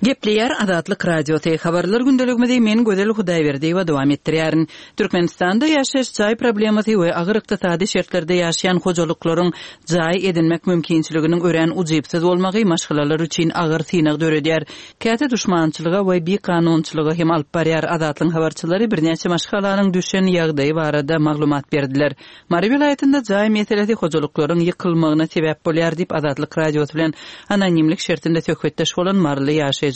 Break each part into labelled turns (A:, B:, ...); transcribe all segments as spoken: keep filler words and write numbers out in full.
A: Gepleýär Azatlyk Radiosy. Habarlar gündeligimizi men Gözel Hudaýberdiýewa dowam etdirýärin. Türkmenistanda ýaşaýyş jaý problemasy we agyr ykdysady şertlerde ýaşaýan hojalyklaryň jaý edinmek mümkinçiliginiň örän ujypsyz bolmagy maşgalalar üçin agyr synag döredýär. Käte duşmançylyga we bikanunçylyga hem alyp barýar. Azatlygyň habarçylary birnäçe maşgalanyň düşen ýagdaýy barada maglumat berdiler. Mary welaýatynda jaý meselesi hojalyklaryň ýykylmagyna sebäp bolýar diýip Azatlyk Radiosy bilen anonimlik şertinde söhbetdeş bolan maryly ýaşaýjylar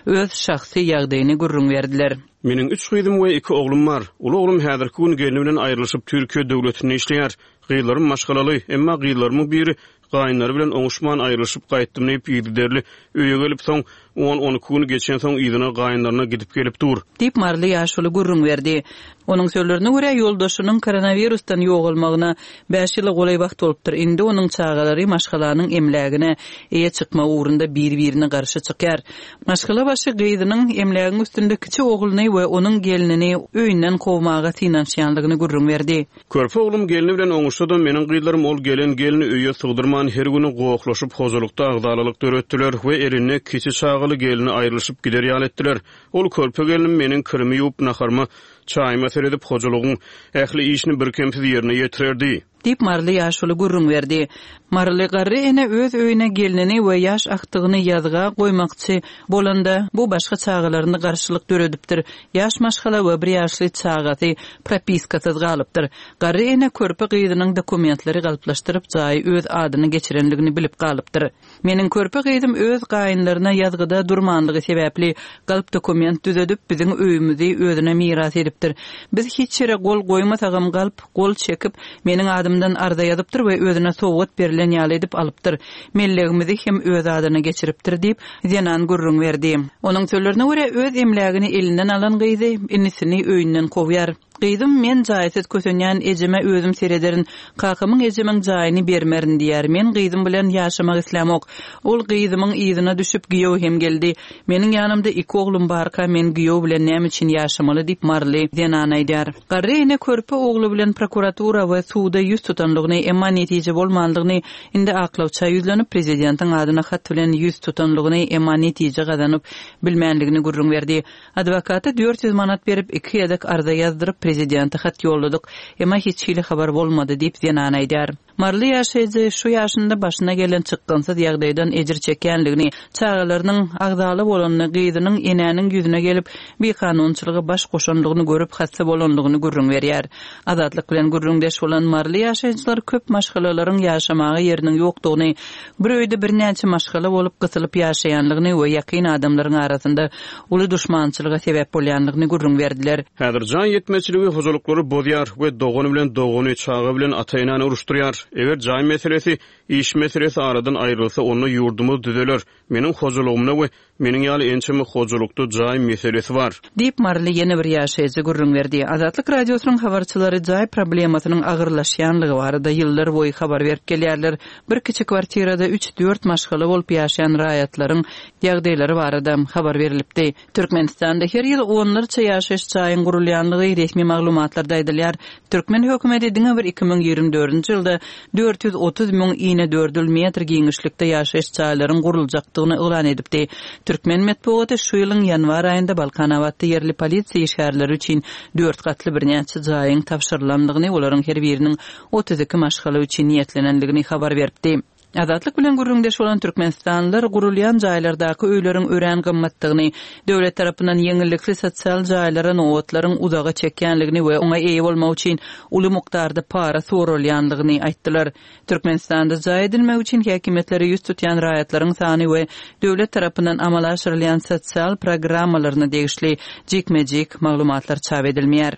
A: öz şahsy ýagdaýyny gürrüň berdiler.
B: Meniň üç gyzym we iki oglum bar. Uly oglum häzirki gün gelni bilen aýrylyşyp Türkiýe döwletinde işleýär. Gyzlarym maşgalaly, emma gyzlarymyň biri gaýynlary bilen oňuşman aýrylyşyp gaýtdym diýip yzygiderli öýe gelip soň on-on iki gün geçensoň yzyna gaýynlaryna gidip gelip dur.
A: Diýip maryly ýaşuly gürrüň berdi. Onuň sözlerine görä ýoldaşynyň koronawirusdan ýogalmagyna bäş ýyla golaý wagt bolupdyr. Indi onuň çagalary maşgalanyň emlägine eýe çykma ugrunda bir-birine garşy çykýar. Maşgala başy gyzynyň emlägiň üstünde kiçi ogluny we onuň gelnini öýünden kowmaga synanyşýanlygyny gürrüň berdi.
B: Körpe oglum gelni bilen oňuşsa-da meniň gyzlarym ol gelen gelni öýe sygdyrman her güni gohlaşyp hojalykda agzalalyk döretdiler we elinde kiçi çagaly gelni aýrylyşyp gider ýaly etdiler. Ol körpe gelnim meniň kirimi ýuwup naharyma çaýyma seredip hojalygyň ähli işini birkemsiz ýerine ýetirerdi.
A: Diýip maryly ýaşuly gürrüň berdi. Maryly garry ene öz öýüne gelnini we ýaş akdygyny ýazga goýmakçy bolanda bu başga çagalaryny garşylyk döredipdir. Ýaş maşgala we bir ýaşly çagasy propiskasyz galypdyr. Garry ene körpe gyzynyň dokumentleri galyplaşdyryp jaýy öz adyny geçirenligini bilip galypdyr. Meniň körpe gyzym öz gaýynlaryna ýazgyda durmanlygy sebäpli galyp dokument düzedip biziň öýümizi özüne miras edipdir. Biz hiç ýere gol goýmasagam galyp gol çekip meniň adymdan arza ýazypdyr we özüne sowgat berilen ýaly edip alypdyr. Mellegimizi hem öz adyna geçiripdir diýip zenan gürrüň berdi. Onuň sözlerine görä öz emlägini elinden alan gyzy inisini öýünden kowýar. Gyzym men jaýsyz kösenýän ejeme özüm serederin, kakamyň ejemiň jaýyny bermerin diýär. Men gyzym bilen ýaşamak islämok. Ol gyzymyň yzyna düşüp giýew hem geldi. Meniň ýanymda iki oglum barka men giýew bilen näme üçin ýaşamaly diýip maryly zenan aýdar. Garry ene körpe ogly bilen prokuratura we suda ýüz tutanlygyny, emma netije bolmanlygyny, indi aklawça ýüzlenip prezidentiň adyna hat bilen ýüz tutanlygyny, emma netije gazanyp bilmänligini gürrüň berdi. Adwokata dört ýüz manat berip iki gezek arza ýazdyryp prezidente hat ýolladyk. Emma hiç hili habar bolmady diýip zenan aýdar. Maryly ýaşaýjy şu ýaşynda başyna gelen çykgynsyz ýagdaýdan ejir çekýänligini, çagalarynyň agzaly bolanyny, gyzynyň enäniň ýüzüne gelip bikanunçylyga baş goşanlygyny görüp hassa bolanlygyny gürrüň berýär. Azatlyk bilen gürrüňdeş bolan maryly ýaşaýjylar köp maşgalalaryň ýaşamaga ýeriniň ýokdugyny, bir öýde birnäçe maşgala bolup gysylyp ýaşaýanlygyny we ýakyn adamlaryň arasynda uly duşmançylyga sebäp bolýanlygyny gürrüň berdiler.
B: Häzir jaý ýetmezçiligi hojalyklary bozýar we dogany bilen dogany, çaga bilen ata-enäni uruşdyrýar. Eger jaý meselesi, iş meselesi aradan aýrylsa, onda ýurdumyz düzeler. Meniň hojalygymda we meniň ýaly ençeme hojalykda jaý meselesi bar.
A: Diýip maryly ýene bir ýaşaýjy gürrüň berdi. Azatlyk Radiosynyň habarçylary jaý problemasynyň agyrlaşýanlygy barada ýyllar boýy habar berip gelýärler. Bir kiçi kwartirada üç-dört maşgala bolup ýaşaýan raýatlaryň ýagdaýlary barada habar berilipdi. Türkmenistanda her ýyl onlarça ýaşaýyş jaýyň gurulýanlygy resmi maglumatlarda aýdylýar. Türkmen hökümeti diňe bir iki müň ýigrimi dördünji ýylda dört ýüz otuz müň ine dördül metr giňişlikde ýaşaýyş jaýlaryň guruljakdygyny yglan edipdi. Türkmen metbugaty şu ýylyň ýanwar aýynda Balkanabatda ýerli polisiýa işgärleri üçin dört gatly birnäçe jaýyň tabşyrylanlygyny, olaryň her biriniň otuz iki maşgala üçin niýetlenenligini habar beripdi. Azatlyk bilen gürrüňdeş bolan Türkmenistanlylar gurulýan jaýlardaky öýleriň örän gymmatdygyny, döwlet tarapyndan ýeňillikli sosial jaýlara nobatlaryň uzaga çekýänligini we oňa eýe bolmak üçin uly mukdarda para soralýanlygyny aýtdylar. Türkmenistanda jaý edinmek üçin häkimiýetlere ýüz tutýan raýatlaryň sany we döwlet tarapyndan amala aşyrylýan sosial programmalaryna degişli jikme-jik maglumatlar çap edilmeýär.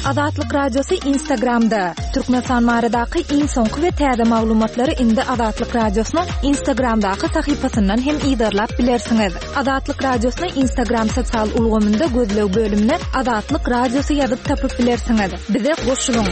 C: Azatlyk Radiosy Instagramda. Türkmenistan baradaky iň soňky we täze maglumatlary indi Azatlyk Radiosynyň Instagramdaky sahypasyndan hem yzarlap bilersiňiz. Azatlyk Radiosyny Instagram sosial ulgamynda gözleg bölümine Azatlyk Radiosy ýazyp tapyp bilersiňiz. Bize goşulyň.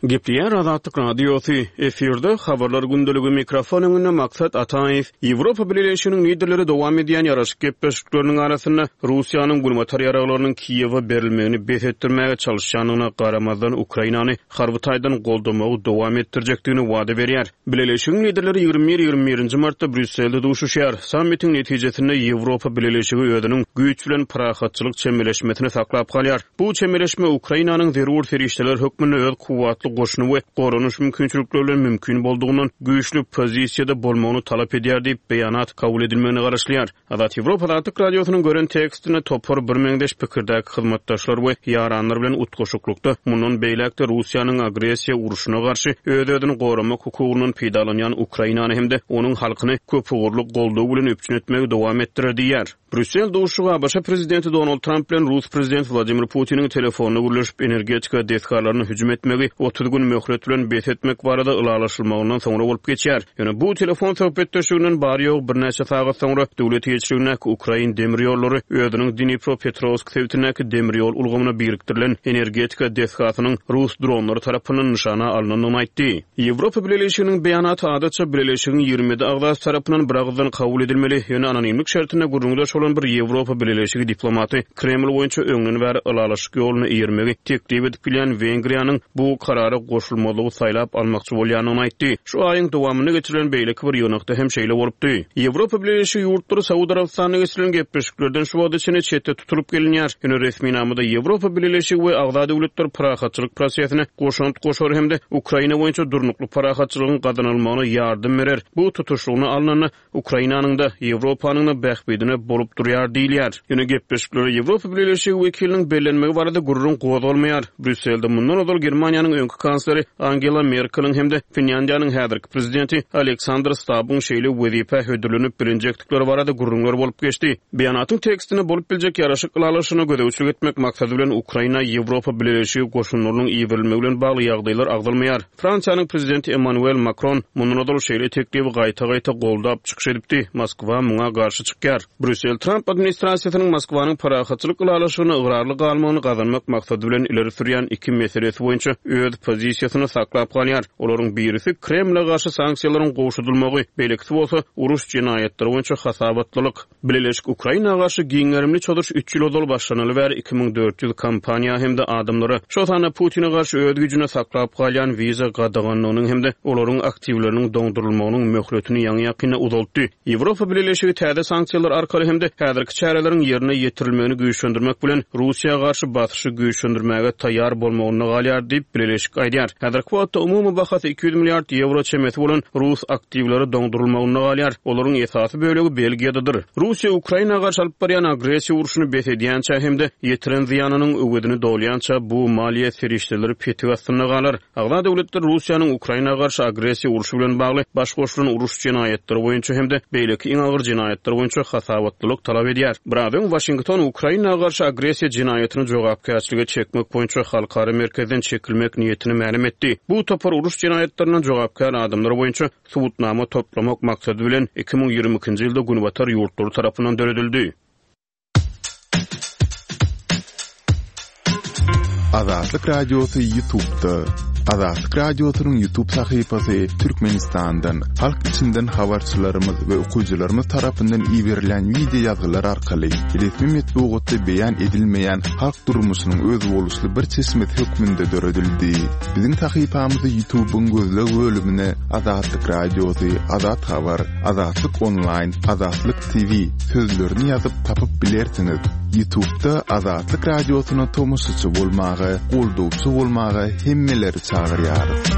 B: Gepleýär Azatlyk Radiosy, efirde Habarlar gündeligi, mikrofon öňünde Maksat Ataýew. Ýewropa Bileleşiginiň liderleri dowam edýän ýaraşyk gepleşikleriniň arasynda Russiýanyň günbatar ýaraglarynyň Kiýewe berilmegini bes etdirmäge çalyşýandygyna garamazdan Ukrainany harby taýdan goldamagy dowam etdirjekdigini wada berýär. Bileleşigiň liderleri ýigrimi bir ýigrimi birinji martda Brýusselde duşuşýar. Sammitiň netijesinde Ýewropa Bileleşigi özüniň güýç bilen parahatçylyk çemeleşmesini saklap galýar. Bu çemeleşme Ukrainanyň zerur serişdeler hökmünde öz kuwwatly goşuny we goranyş mümkinçilikleri bilen mümkin boldugyndan güýçli pozisiýada bolmagyny talap edýär diýip beýanat kabul edilmegine garaşylýar. Azat Ýewropa Azatlyk Radiosynyň gören tekstinde topar birmeňzeş pikirdäki hyzmatdaşlar we ýaranlar bilen utgaşyklykda mundan beýläk-de Russiýanyň agressiýa urşuna garşy öz-özüni goramak hukugyndan peýdalanýan Ukrainany hem-de onuň halkyny köpugurly goldaw bilen üpjün etmegi dowam etdirer diýýär. Brýussel duşuşygy A B Ş prezidenti Donald Tramp bilen Rus prezidenti Wladimir Putiniň telefonda gürleşip energetika desgalaryna hüjüm etmegi otuz gün möhlet bilen bes etmek barada ylalaşylmagyndan soňra bolup geçýär. Ýöne bu telefon söhbetdeşliginden bary-ýogy birnäçe sagat soňra döwlet eýeçiligindäki Ukrain demir ýollary özüniň Dnipropetrovsk sebitindäki demir ýol ulgamyna birikdirilen energetika desgasynyň rus dronlary tarapyndan nyşana alnandygyny aýtdy. Ýewropa Bileleşiginiň beýanaty adatça Bileleşigiň ýigrimi ýedi agzasy tarapyndan biragyzdan kabul edilmeli, ýöne anonimlik şertinde gürrüňdeş bolan bir Ýewropa Bileleşigi diplomaty Kreml boýunça öňden bäri ylalaşyk ýoluna eýermegi teklip edip bilýän Wengriýanyň bu karara goşulmazlygy saýlap almakçy bolýandygyny aýtdy. Şu aýyň dowamynda geçirilen beýleki bir ýygnakda hem şeýle bolupdy. Ýewropa Bileleşigi ýurtlary Saud Arabystanyna geçirilen gepleşiklerden şu wagta çenli çetde tutulyp gelinýär. Ýöne resminamada Ýewropa Bileleşigi we agza döwletler parahatçylyk prosesine goşant goşar hem-de Ukraina boýunça durnukly parahatçylygyň gazanylmagyna ýardam berer. Bu tutuşlygyna alnanda Ukrainanyň da Ýewropanyň da bähbidine bolup durýar diýilýär. Ýöne gepleşiklere Ýewropa Bileleşigi wekiliniň bellenmegi barada gürrüň gozgalmaýar. Brýusselde mundan ozal Germaniýanyň öňki kansleri Angela Merkeliň hem-de Finlýandiýanyň häzirki prezidenti Aleksandr Stabbyň şeýle wezipä hödürlenip bilinjekdikleri barada gürrüňler bolup geçdi. Beýanatyň tekstinde bolup biljek ýaraşyk ylalaşygyna gözegçilik etmek maksady bilen Ukraina Ýewropa Bileleşigi goşunlarynyň iberilmegi bilen bagly ýagdaýlar agzalmaýar. Fransiýanyň prezidenti Emmanuel Makron mundan ozal şeýle teklibi gaýta-gaýta goldap çykyş edipdi. Moskwa muňa garşy çykýar. Brýussel Tramp administrasiýasynyň Moskwanyň parahatçylyk ylalaşygyna ygrarly galmagyny gazanmak maksady bilen ileri sürýän iki meselesi boýunça öz pozisiýasyny saklap galýar. Olaryň birisi Kremle garşy sanksiýalaryň gowşadylmagy, beýlekisi bolsa uruş jenaýatlary boýunça hasabatlylyk. Bileleşik Ukraina garşy giň gerimli çozuş üç ýyl ozal başlanaly bäri iki müň dört ýüz kompaniýa hem-de adamlara, şol sanda Putine garşy öz güýjüne saklap galýan wiza gadaganlygynyň hem-de olaryň aktiwleriniň doňdurylmagynyň möhletini ýaňy-ýakynda uzaltdy. Ýewropa Bileleşigi täze sanksiýalar arkaly hem-de häzirki çäreleriň ýerine ýetirilmegini güýçlendirmek bilen Russiýa garşy basyşy güýçlendirmäge taýýar bolmagynda galýar diýip Bileleşik aýdýar. Häzirki wagtda umumy bahasy iki ýüz milliard ýewro çemesi bolan rus aktiwleri doňdurylmagynda galýar. Olaryň esasy bölegi Belgiýadadyr. Russiýa Ukraina garşy alyp barýan agressiýa urşuny bes edýänçä hem-de ýetiren zyýanynyň öwezini dolýança bu maliýe serişdeleri petik astynda galar. Agza döwletler Russiýanyň Ukraina garşy agressiýa urşy bilen bagly baş goşulan uruş jenaýatlary boýunça hem-de beýleki iň agyr jenaýatlar boýunça hasabatlylyk talap edýär. Biraz öň Waşington Ukraina garşy agressiýa jenaýatyny jogapkärçilige çekmek boýunça halkara merkezden çekilmek niýetini mälim etdi. Bu topar uruş jenaýatlaryndan jogapkär adamlar boýunça subutnama toplamak maksady bilen iki müň ýigrimi ikinji ýylda Günbatar ýurtlary tarapyndan döredildi.
D: Azatlyk Radiosy YouTube'da. Azatlyk Radiosynyň YouTube sahypasy Türkmenistandan, halk içinden habarçylarymyz we okyjylarymyz tarapyndan iberilen video ýazgylar arkaly resmi metbugatda beýan edilmeýän halk durmuşynyň özboluşly bir çeşmesi hökmünde döredildi. Biziň sahypamyzy YouTube'yň gözleg bölümine Azatlyk Radiosy, Azat Habar, Azatlyk Online, Azatlyk T V sözlerini ýazyp tapyp bilersiňiz. YouTube'da Azatlyk Radiosyna tomaşaçy bolmaga, goldawçy bolmaga hemmeleri çagyrýarys.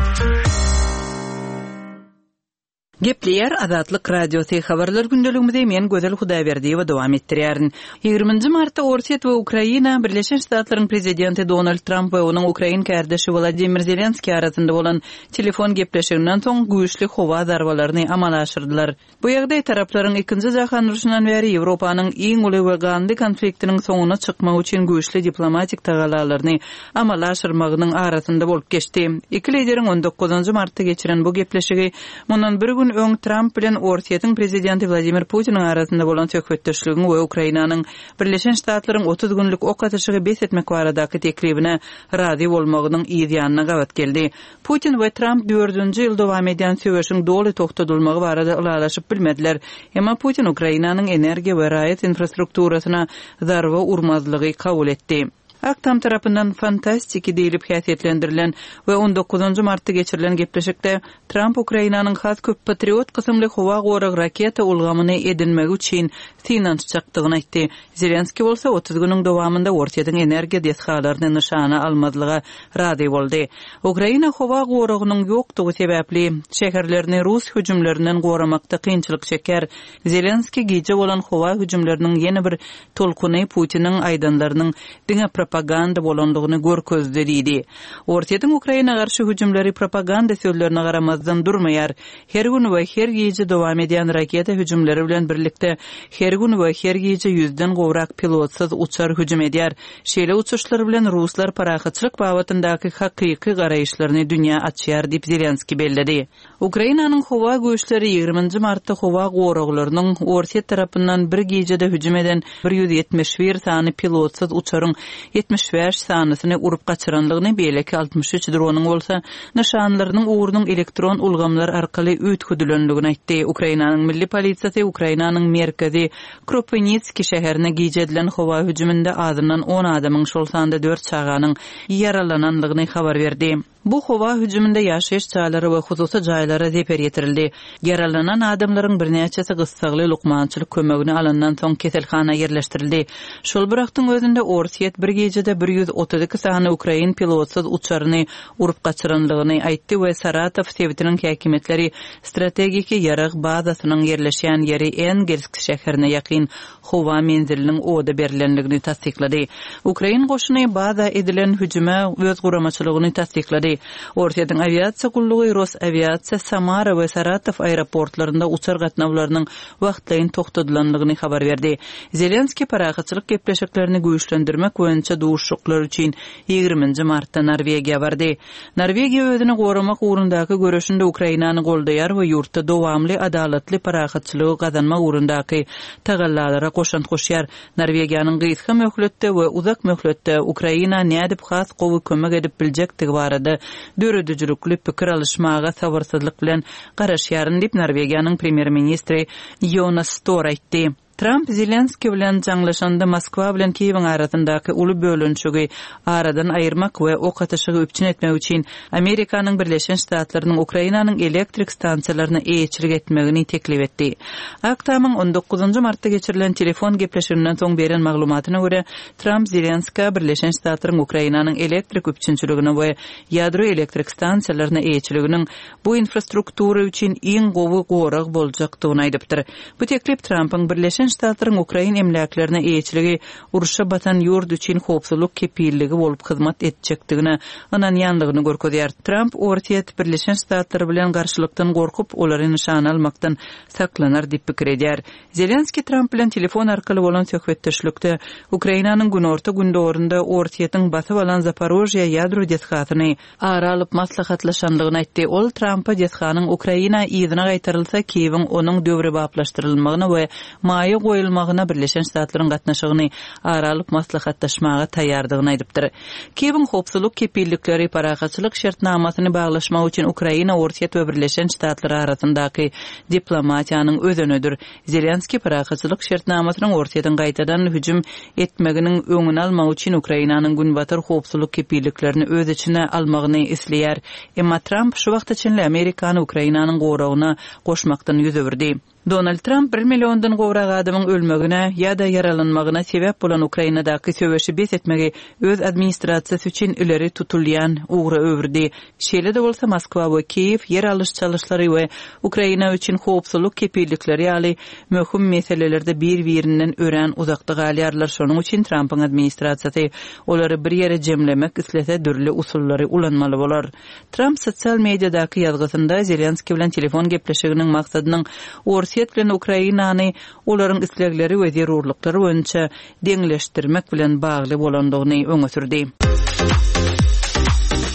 A: Gepleýär Azatlyk Radiosy habarlar gündeligimizi men Gözel Hudaýberdiýewa dowam etdirýärin. Ýigriminji martda Orsýet we Ukraina Birleşen Ştatlaryň prezidenti Donald Trump we onuň Ukrain kardeşi Wladimir Zelenskiý arasynda bolan telefon gepleşiginden soň güýçli howa zarbalaryny amala aşyrdylar. Bu ýagdaý taraplaryň ikinji jahan urşundan bäri Ýewropanyň iň uly we ganly konfliktiniň soňuna çykmak üçin güýçli diplomatik tagalalaryny amala aşyrmagynyň arasynda bolup geçdi. Iki lideriň on dokuzynjy martda geçiren bu gepleşigi mundan bir gün gün öň Tramp bilen Orsýetiň prezidenti Wladimir Putiniň arasynda bolan söhbetdeşligiň we Ukrainanyň Birleşen Ştatlaryň otuz günlük ok atyşygy bes etmek baradaky teklibine razy bolmagynyň yz ýanyna gabat geldi. Putin we Tramp dördünji ýyl dowam edýän söweşiň doly togtadylmagy barada ylalaşyp bilmediler. Emma Putin Ukrainanyň energiýa we raýat infrastrukturasyna zarba urmazlygy kabul etdi. Ak Tam tarapyndan fantastiki diýlip häsiýetlendirilen we on dokuzynjy martda geçirilen gepleşikde Tramp Ukrainanyň has köp Patriot kysymly howa gorag raketa ulgamyny edinmegi üçin synanyşjakdygyny aýtdy. Zelenskiý bolsa otuz günüň dowamynda Orsýetiň energiýa desgalaryny nyşana almazlyga razy boldy. Ukraina howa goragynyň ýokdugy sebäpli şäherlerini rus hüjümlerinden goramakda kynçylyk çekýär. Zelenskiý gije bolan howa hüjümleriniň ýene bir tolkuny Putiniň aýdanlarynyň diňe propaganda bolandygyny görkezdi diýdi. Orsýetiň Ukraina garşy hüjümleri propaganda sözlerine garamazdan durmaýar. Her gün we her gije dowam edýän raketa hüjümleri bilen birlikde her gün we her gije ýüzden gowrak pilotsyz uçar hüjüm edýär. Şeýle uçuşlar bilen ruslar parahatçylyk babatyndaky hakyky garaýyşlaryny dünýä açýar diýip Zelenskiý belledi. Ukrainanyň howa güýçleri ýigriminji martda howa goraglarynyň Orsýet tarapyndan bir gijede hüjüm eden bir ýüz ýetmiş bir sany pilotsyz uçaryň ýetmiş bäş sanysyny urup gaçyranlygyny, beýleki altmyş üç dronyň bolsa nyşanlarynyň ugrunyň elektron ulgamlar arkaly üýtgedilenligini aýtdy. Ukrainanyň milli polisiýasy Ukrainanyň merkezi Kropywnitskiý şäherine gije edilen howa hüjüminde azyndan on adamyň, şol sanda dört çaganyň ýaralananlygyny habar berdi. Bu howa hüjüminde ýaşaýyş jaýlary we hususy jaýlara zeper ýetirildi. Ýaralanan adamlaryň birnäçesi gyssagly lukmançylyk kömegini alandan soň keselhana ýerleşdirildi. Şol bir wagtyň özünde Orsýet bir gijede bir ýüz otuz iki sany ukrain pilotsyz uçaryny urup gaçyranlygyny aýtdy we Saratow sebitiniň häkimiýetleri strategiki ýarag bazasynyň ýerleşýän ýeri Engelsk şäherine ýakyn howa menziliniň oda berilenligini tassyklady. Ukrain goşuny baza edilen hüjüme öz guramaçylygyny tassyklady. Orsýetiň awiasiýa gullugy Rosawiasiýa Samara we Saratow aeroportlarynda uçar gatnawlarynyň wagtlaýyn togtadylanlygyny habar berdi. Zelenskiý parahatçylyk gepleşiklerini güýçlendirmek boýunça duşuşyklar üçin ýigriminji martda Norwegiýa bardy. Norwegiýa özüni goramak ugrundaky göreşinde Ukrainany goldaýar we ýurtda dowamly adalatly parahatçylygy gazanmak ugrundaky tagallalara goşant goşýar. Norwegiýanyň gysga möhletde we uzak möhletde Ukraina nädip has gowy kömek edip biljekdigi barada döredijilikli pikir alyşmaga sabyrsyzlyk bilen garaşýaryn diýip Norwegiýanyň premýer-ministri Jonas Stor aýtdy. Tramp Zelenskiý bilen jaňlaşanda Moskwa bilen Kiýewiň arasyndaky uly bölünişigi aradan aýyrmak we ok atyşygy üpjün etmek üçin Amerikanyň Birleşen Ştatlarynyň Ukrainanyň elektrik stansiýalaryna eýeçilik etmegini teklip etdi. Ak Tamyň on dokuzynjy martda geçirilen telefon gepleşiginden soň beren maglumatyna görä, Tramp Zelenskä Birleşen Ştatlaryň Ukrainanyň elektrik üpjünçiligine we ýadro elektrik stansiýalaryna eýeçiliginiň bu infrastruktura üçin iň gowy gorag boljakdygyny aýdypdyr. Bu teklip Trampyň Birleşen Ştatlaryň Ukrain emläklerine eýeçiligi urşa batan ýurt üçin howpsuzlyk kepilligi bolup hyzmat etjekdigine ynanýanlygyny görkezýär. Tramp Orsýet Birleşen Ştatlary bilen garşylykdan gorkup, olary nyşana almakdan saklanar diýip pikir edýär. Zelenskiý Tramp bilen telefon arkaly bolan söhbetdeşlikde Ukrainanyň günorta gündogurynda Orsýetiň basyp alan Zaporožýa ýadro desgasyny ara alyp maslahatlaşanlygyny aýtdy. Ol Trampa desganyň Ukraina yzyna gaýtarylsa, Kiýewiň onuň döwrebaplaşdyrylmagyna we maýa goýulmagyna Birleşen Ştatlaryň gatnaşygyny ara alyp maslahatlaşmaga taýýardygyny aýdypdyr. Kiýewiň howpsuzlyk kepillikleri parahatçylyk şertnamasyny baglaşmak üçin Ukraina, Orsýet we Birleşen Ştatlar arasyndaky diplomatiýanyň özenidir. Zelenskiý parahatçylyk şertnamasynyň Orsýetiň gaýtadan hüjüm etmeginiň öňüni almak üçin Ukrainanyň günbatar howpsuzlyk kepilliklerini öz içine almagyny isleýär. Emma Tramp şu wagta çenli Amerikany Ukrainanyň goragyna goşmakdan ýüz öwürdi. Donald Trump bir milliondan gowrak adamyň ölmegine ýa-da ýaralanmagyna sebäp bolan Ukrainadaky söweşi bes etmegi öz administrasiýasy üçin ileri tutulýan ugra öwürdi. Şeýle-de bolsa Moskwa we Kiýew ýer alyş çalyşlary we Ukraina üçin howpsuzlyk kepillikleri ýaly möhüm meselelerde bir-birinden örän uzakda galýarlar. Şonuň üçin Trumpyň administrasiýasy olary bir ýere jemlemek islese dürli usullary ulanmaly bolar. Trump sosial mediadaky ýazgysynda Zelenskiý bilen telefon gepleşiginiň maksadynyň Orsýet bilen Ukrainany olaryň islegleri we zerurlyklary boýunça deňleşdirmek bilen bagly bolandygyny öňe sürdi.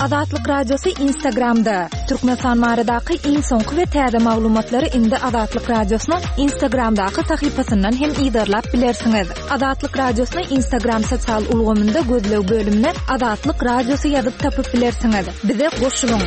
C: Azatlyk Radiosy Instagramda. Türkmenistan baradaky iň soňky we täze maglumatlary indi Azatlyk Radiosynyň Instagramdaky sahypasyndan hem yzarlap bilersiňiz. Azatlyk Radiosyny Instagram sosial ulgamynda gözleg bölümine Azatlyk Radiosy ýazyp tapyp bilersiňiz. Bize goşulyň.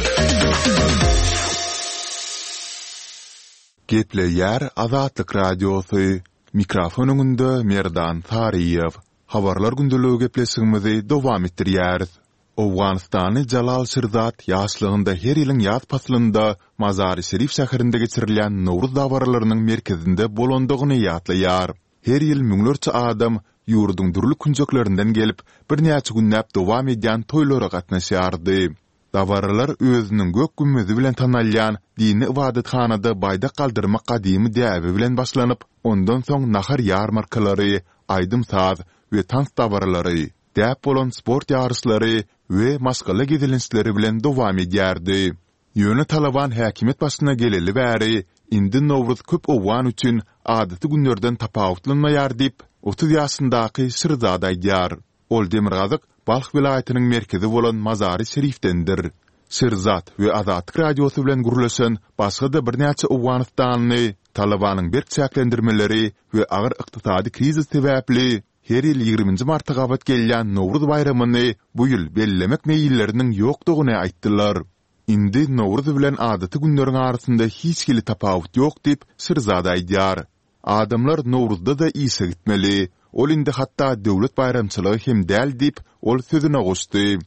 D: Gepleýär Azatlyk Radiosy. Mikrofon öňünde Merdan Saryýew. Habarlar gündeligi gepleşigimizi dowam etdirýäris. Owganystanly Jalal Şirzat ýaşlygynda her ýylyň ýaz paslynda Mazary-Şerif şäherinde geçirilýän Nowruz dabaralarynyň merkezinde bolandygyny ýatlaýar. Her ýyl müňlerçe adam ýurduň dürli künjeklerinden gelip, birnäçe günläp dowam edýän toýlara gatnaşýardy. Dabaralar özüniň gök gümmezi bilen tanalýan dini ybadathanada baýdak galdyrmak gadymy däbi bilen başlanyp, ondan soň nahar ýarmarkalary, aýdym-saz we tans dabaralary, däp bolan sport ýaryşlary we maşgala gezelençleri bilen dowam edýärdi. Ýöne Talaban häkimiýet başyna geleli bäri, indi Nowruz köp owgan üçin adaty günlerden tapawutlanmaýar diýip, otuz ýaşyndaky Şirzad aýdýar. Ol demirgazyk Balh welaýatynyň merkezi bolan Mazary-Şerifdendir. Şirzad we Azatlyk Radiosy bilen gürleşen başga-da birnäçe owganystanly Talabanyň berk çäklendirmeleri we agyr ykdysady krizis sebäpli her ýyl ýigriminji marta gabat gelýän Nowruz baýramyny bu ýyl bellemek meýilleriniň ýokdugyny aýtdylar. Indi Nowruz bilen adaty günleriň arasynda hiç hili tapawut ýok diýip, Şirzad aýdýar. Adamlar Nowruzda-da işe gitmeli. Ol indi hatda döwlet baýramçylygy hem däl diýip, ol sözüne goşdy.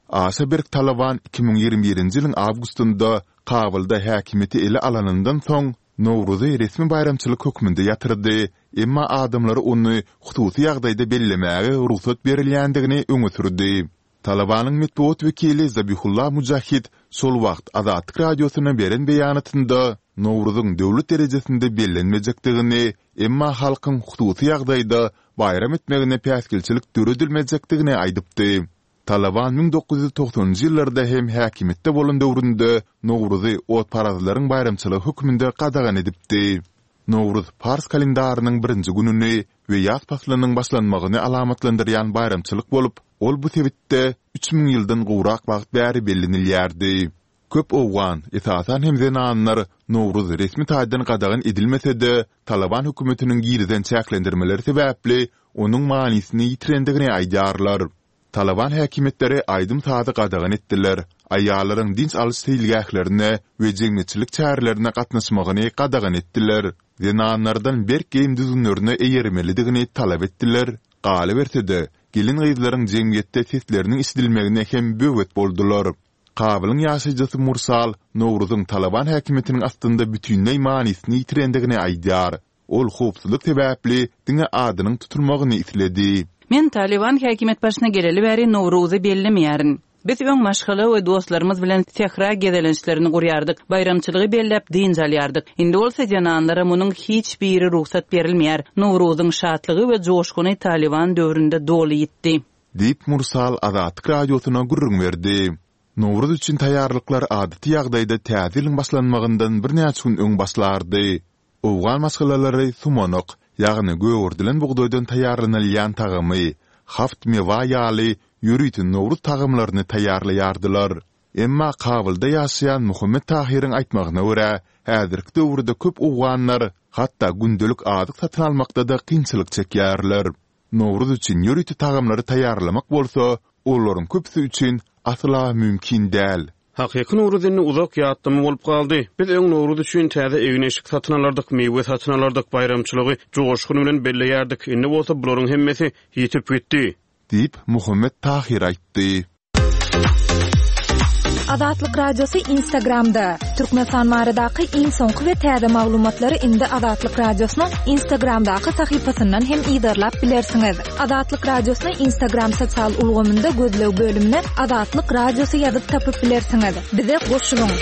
D: Aşa berk Talaban iki müň ýigrimi birinji ýylyň awgustynda Kabulda häkimiýeti ele alanyndan soň, Nowruzy resmi baýramçylyk hökmünde ýatyrdy, emma adamlara ony hususy ýagdaýda bellemäge rugsat berilýändigini öňe sürdi. Talabanyň metbugat wekili Zabihullah Mujahid şol wagt Azatlyk Radiosyna beren beýanatynda Nowruzyň döwlet derejesinde bellenmejekdigini, emma halkyň hususy ýagdaýda baýram etmegine päsgelçilik döredilmejekdigini aýdypdy. Talaban müň dokuz ýüz togsanynjy ýyllarda hem häkimiýetde bolan döwründe Nowruzy otparazlaryň baýramçylygy hökmünde gadagan edipdi. Nowruz pars kalendarynyň birinji gününi we ýaz paslynyň başlanmagyny alamatlandyrýan baýramçylyk bolup, ol bu sebitde üç müň ýyldan gowrak wagt bäri bellenilýärdi. Köp owgan, esasan hem zenanlar Nowruz resmi taýdan gadagan edilmese-de, Talaban hökümetiniň girizen çäklendirmeleri sebäpli onuň manysyny ýitirendigini aýdýarlar. Talaban häkimiýetleri aýdym-sazy gadagan etdiler, aýallaryň dynç alyş seýilgählerine we jemgyýetçilik çärelerine gatnaşmagyny gadagan etdiler, zenanlardan berk geýim düzgünlerine eýermelidigini talap etdiler, galyberse-de, gelin-gyzlaryň jemgyýetde sesleriniň eşidilmegine hem böwet boldular. Kabulyň ýaşaýjysy Mursal Nowruzyň Talaban häkimiýetiniň astynda bütinleý manysyny ýitirendigini aýdýar. Ol howpsuzlyk sebäpli diňe adynyň tutulmagyny isledi.
A: Men Talyban häkimiýet başyna geleli bäri Nowruzy bellemeýärin. Biz öň maşgala we dostlarymyz bilen sähra gezelençlerini gurýardyk, baýramçylygy belläp dynç alýardyk. Indi bolsa zenanlara munuň hiç biri rugsat berilmeýär. Nowruzyň şatlygy we joşguny Talyban döwründe doly ýitdi.
D: Diýip, Mursal Azatlyk Radiosyna gürrüň berdi. Nowruz üçin taýýarlyklar adaty ýagdaýda Täze ýylyň başlanmagyndan birnäçe gün öň başlardy. Owgan maşgalalary sumanak, ýagny gögerdilen bugdaýdan taýýarlanylýan tagamy, haft mewa ýaly ýörite Nowruz tagamlaryny taýýarlaýardylar. Emma Kabulda ýaşaýan Muhammet Tahyryň aýtmagyna görä, häzirki döwürde köp owganlar hatda gündelik azyk satyn almakda-da kynçylyk çekýärler. Nowruz üçin ýörite tagamlary taýýarlamak bolsa, olaryň köpüsi üçin asla mümkin däl.
B: Hakyky Nowruz indi uzak ýatlama bolup galdy. Biz öň Nowruz üçin täze egin-eşik satyn alardyk, miwe satyn alardyk, baýramçylygy joşgun bilen belleýärdik. Indi bolsa bularyň hemmesi ýitip gitdi.
D: Diýip, Muhammet Tahyr aýtdy.
C: Azatlyk Radiosy Instagramda, Türkmenistan baradaky iň soňky we täze maglumatlary indi Azatlyk Radiosynyň Instagramdaky sahypasyndan hem yzarlap bilersiňiz. Azatlyk Radiosyny Instagram sosial ulgamynda gözleg bölümine Azatlyk Radiosy ýazyp tapyp bilersiňiz. Bize goşulyň!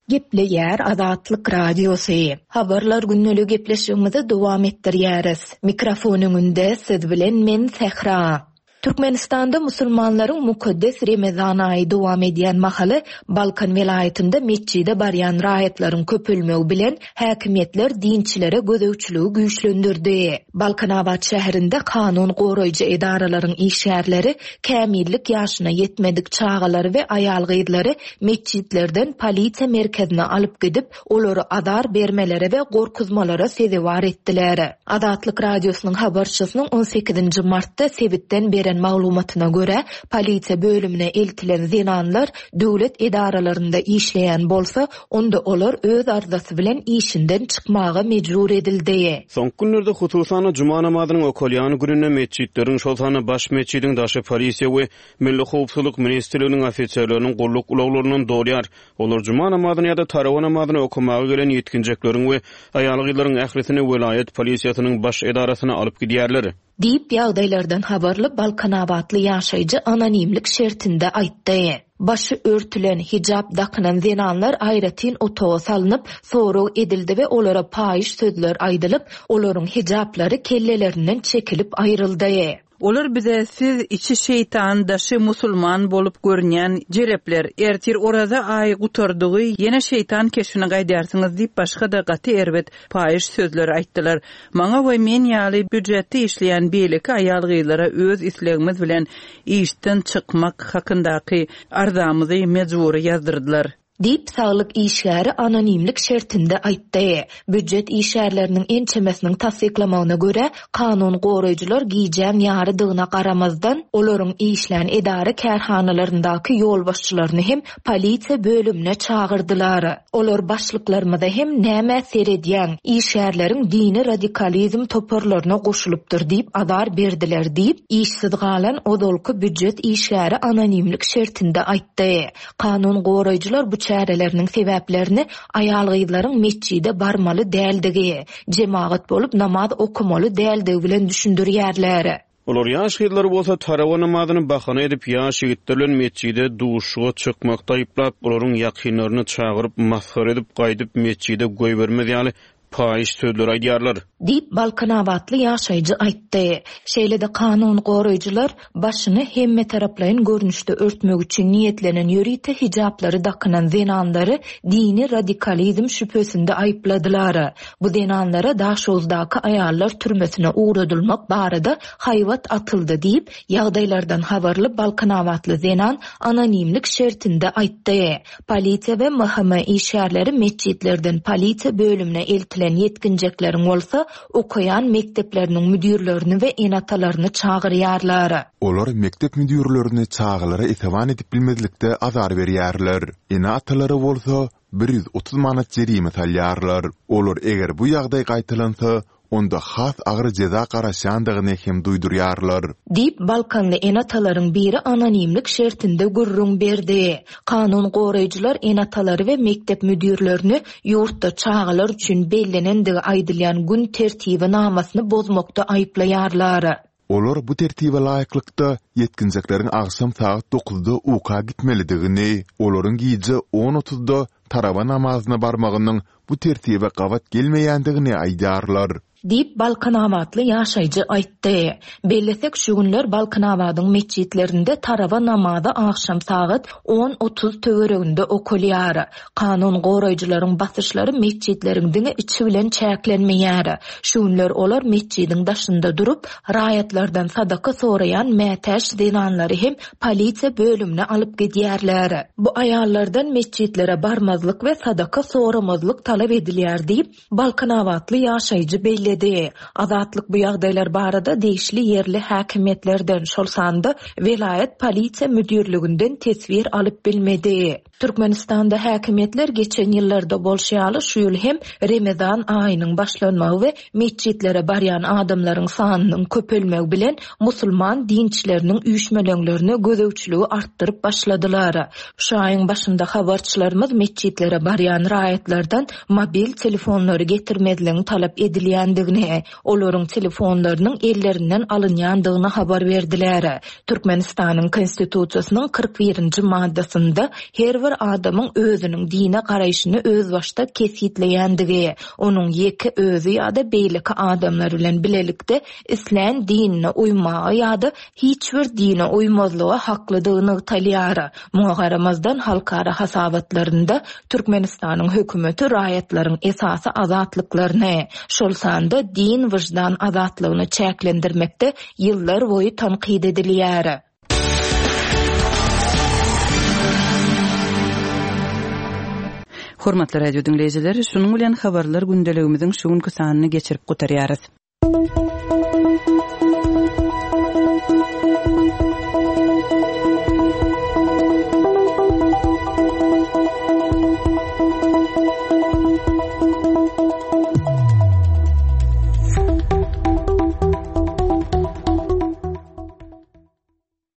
E: Gepleýär Azatlyk Radiosy. Habarlar gündeligi gepleşigimizi dowam etdirýäris. Mikrofon öňünde siz bilen men Sähra. Türkmenistanda musulmanlaryň mukaddes Remezan aýy dowam edýän mahaly Balkan welaýatynda metjide barýan raýatlaryň köpelmegi bilen häkimiýetler dinçilere gözegçiligi güýçlendirdi. Balkanabat şäherinde kanun goraýjy edaralaryň işgärleri kämillik ýaşyna ýetmedik çagalary we aýal-gyzlary metjitlerden polisiýa merkezine alyp gidip, olary azar bermelere we gorkuzmalara sezewar etdiler. Azatlyk Radiosynyň habarçysynyň on sekizinji martda sebitden beren maglumatyna görä, polisiýa bölümine eltilen zenanlar döwlet edaralarynda işleýän bolsa, onda olar öz arzasy bilen işinden çykmaga mejbur edildi.
B: Soňky günlerde, hususan-da, juma namazynyň okalýan gününde metjitleriň, şol sanda baş metjidiň daşy polisiýa we Milli howpsuzlyk ministrliginiň ofiserleriniň gulluk ulaglaryndan dolýar. Olar juma namazyny ýa-da tarawa namazyny okamaga gelen ýetginjekleriň we aýal-gyzlaryň ählisini welaýat polisiýasynyň baş edarasyna alyp gidýärler.
E: Diýip, ýagdaýlardan habarly balkanabatly ýaşaýjy anonimlik şertinde aýtdy. Başy örtülen, hijap dakynan zenanlar aýratyn otaga salnyp, sorag edildi we olara paýyş sözler aýdylyp, olaryň hijaplary kellelerinden çekilip aýryldy.
A: Olar bize siz içi şeýtan, daşy musulman bolup görünýän jelepler, ertir oraza aýy gutardygy ýene şeýtan keşbine gaýdarsyňyz diýip başga-da gaty erbet paýyş sözler aýtdylar. Maňa we men ýaly býujetde işleýän beýleki aýal-gyzlara öz islegimiz bilen işden çykmak hakyndaky arzamyzy mejbury ýazdyrdylar.
E: Diýip, saglyk işgäri anonimlik şertinde aýtdy. Býujet işgärleriniň ençemesiniň tassyklamagyna görä, kanun goraýjylar gijäň ýarydygyna garamazdan, olaryň işlän edara-kärhanalaryndaky ýolbaşçylaryny hem polisiýa bölümine çagyrdylar. Olar başlyklarymyza hem nämä seredýäň, işgärleriň dini radikalizm toparlaryna goşulypdyr diýip azar berdiler diýip, işsiz galan ozalky býujet işgäri anonimlik şertinde aýtdy. Kanun goraýjylar bu çäreleriniň sebäplerini aýal-gyzlaryň metjide barmaly däldigi, jemagat bolup namaz okamaly däldigi bilen düşündirýärler.
B: Olar ýaş gyzlary bolsa tarawa namazyny bahana edip ýaş ýigitler bilen metjide duşuga çykmakda aýyplap, olaryň ýakynlaryny çagyryp, masgara edip gaýdyp metjide goýbermez ýaly paýyş sözler aýdýarlar.
E: Diýip, balkanabatly ýaşaýjy aýtdy. Şeýle-de kanun goraýjylar başyny hemmetaraplaýyn görnüşde örtmek üçin niýetlenen ýörite hijaplary dakynan zenanlary dini radikalizm şübhesinde aýypladylar. Bu zenanlara Daşoguzdaky aýallar türmesine ugradylmak barada haýbat atyldy diýip, ýagdaýlardan habarly balkanabatly zenan anonimlik şertinde aýtdy. Polisiýa we M H M işgärleri metjitlerden polisiýa bölümine eltilen ýetginjekleriň bolsa okaýan mekdepleriniň müdirlerini we ene-atalaryny çagyrýarlar.
D: Olar mekdep müdirlerini çagalara esewan edip bilmezlikde azar berýärler. Ene-atalary bolsa bir ýüz otuz manat jerime salýarlar. Olar eger bu ýagdaý gaýtalansa, onda has agyr jeza garaşýandygyny hem duýdurýarlar.
E: Diýip, Balkanly ene-atalaryň biri anonimlik şertinde gürrüň berdi. Kanun goraýjylar ene-atalary we mekdep müdirlerini ýurtda çagalar üçin bellenendigi aýdylýan gün tertibi namasyny bozmakda aýyplaýarlar.
D: Olar bu tertibe laýyklykda ýetginjekleriň agşam sagat dokuzda uka gitmelidigini, olaryň gije on otuzda tarawa namazyna barmagynyň bu tertibe gabat gelmeýändigini aýdýarlar.
E: Diýip, Balkanabatly ýaşaýjy aýtdy. Bellesek, şu günler Balkanabadyň metjitlerinde tarawa namazy agşam sagat on otuz töwereginde okalýar. Kanun goraýjylaryň basyşlary metjitleriň diňe içi bilen çäklenmeýär. Şu günler olar metjidiň daşynda durup, raýatlardan sadaka soraýan mätäç zenanlary hem polisiýa bölümine alyp gidýärler. Bu aýallardan metjitlere barmazlyk we sadaka soramazlyk talap edilýär diýip, Balkanabatly ýaşaýjy belledi. Azatlyk bu ýagdaýlar barada degişli ýerli häkimiýetlerden, şol sanda welaýat polisiýa müdirliginden teswir alyp bilmedi. Türkmenistanda häkimiýetler geçen ýyllarda bolşy ýaly şu ýyl hem Remezan aýynyň başlanmagy we metjitlere barýan adamlaryň sanynyň köpelmegi bilen musulman dinçileriniň üýşmeleňlerine gözegçiligi artdyryp başladylar. Şu aýyň başynda habarçylarymyz metjitlere barýan raýatlardan mobil telefonlary getirmezligiň talap edilýändigini edilýändigini, olaryň telefonlarynyň ellerinden alynýandygyny habar berdiler. Türkmenistanyň Konstitusiýasynyň kyrk birinji maddasynda her bir adamyň özüniň dine garaýşyny özbaşdak kesgitleýändigi, onuň ýeke özi ýa-da beýleki adamlar bilen bilelikde islän dinine uýmaga ýa-da hiç bir dine uýmazlyga haklydygy nygtalýar. Muňa garamazdan, halkara hasabatlarynda Türkmenistanyň hökümeti raýatlaryň esasy azatlyklaryny, şol sanda din-wyždan azatlygyny çäklendirmekde ýyllar boýy tankyt edilýär.
A: Hormatly radio diňleýjiler, şunuň bilen habarlar gündeligimiziň şu günki sanyny geçirip gutarýarys.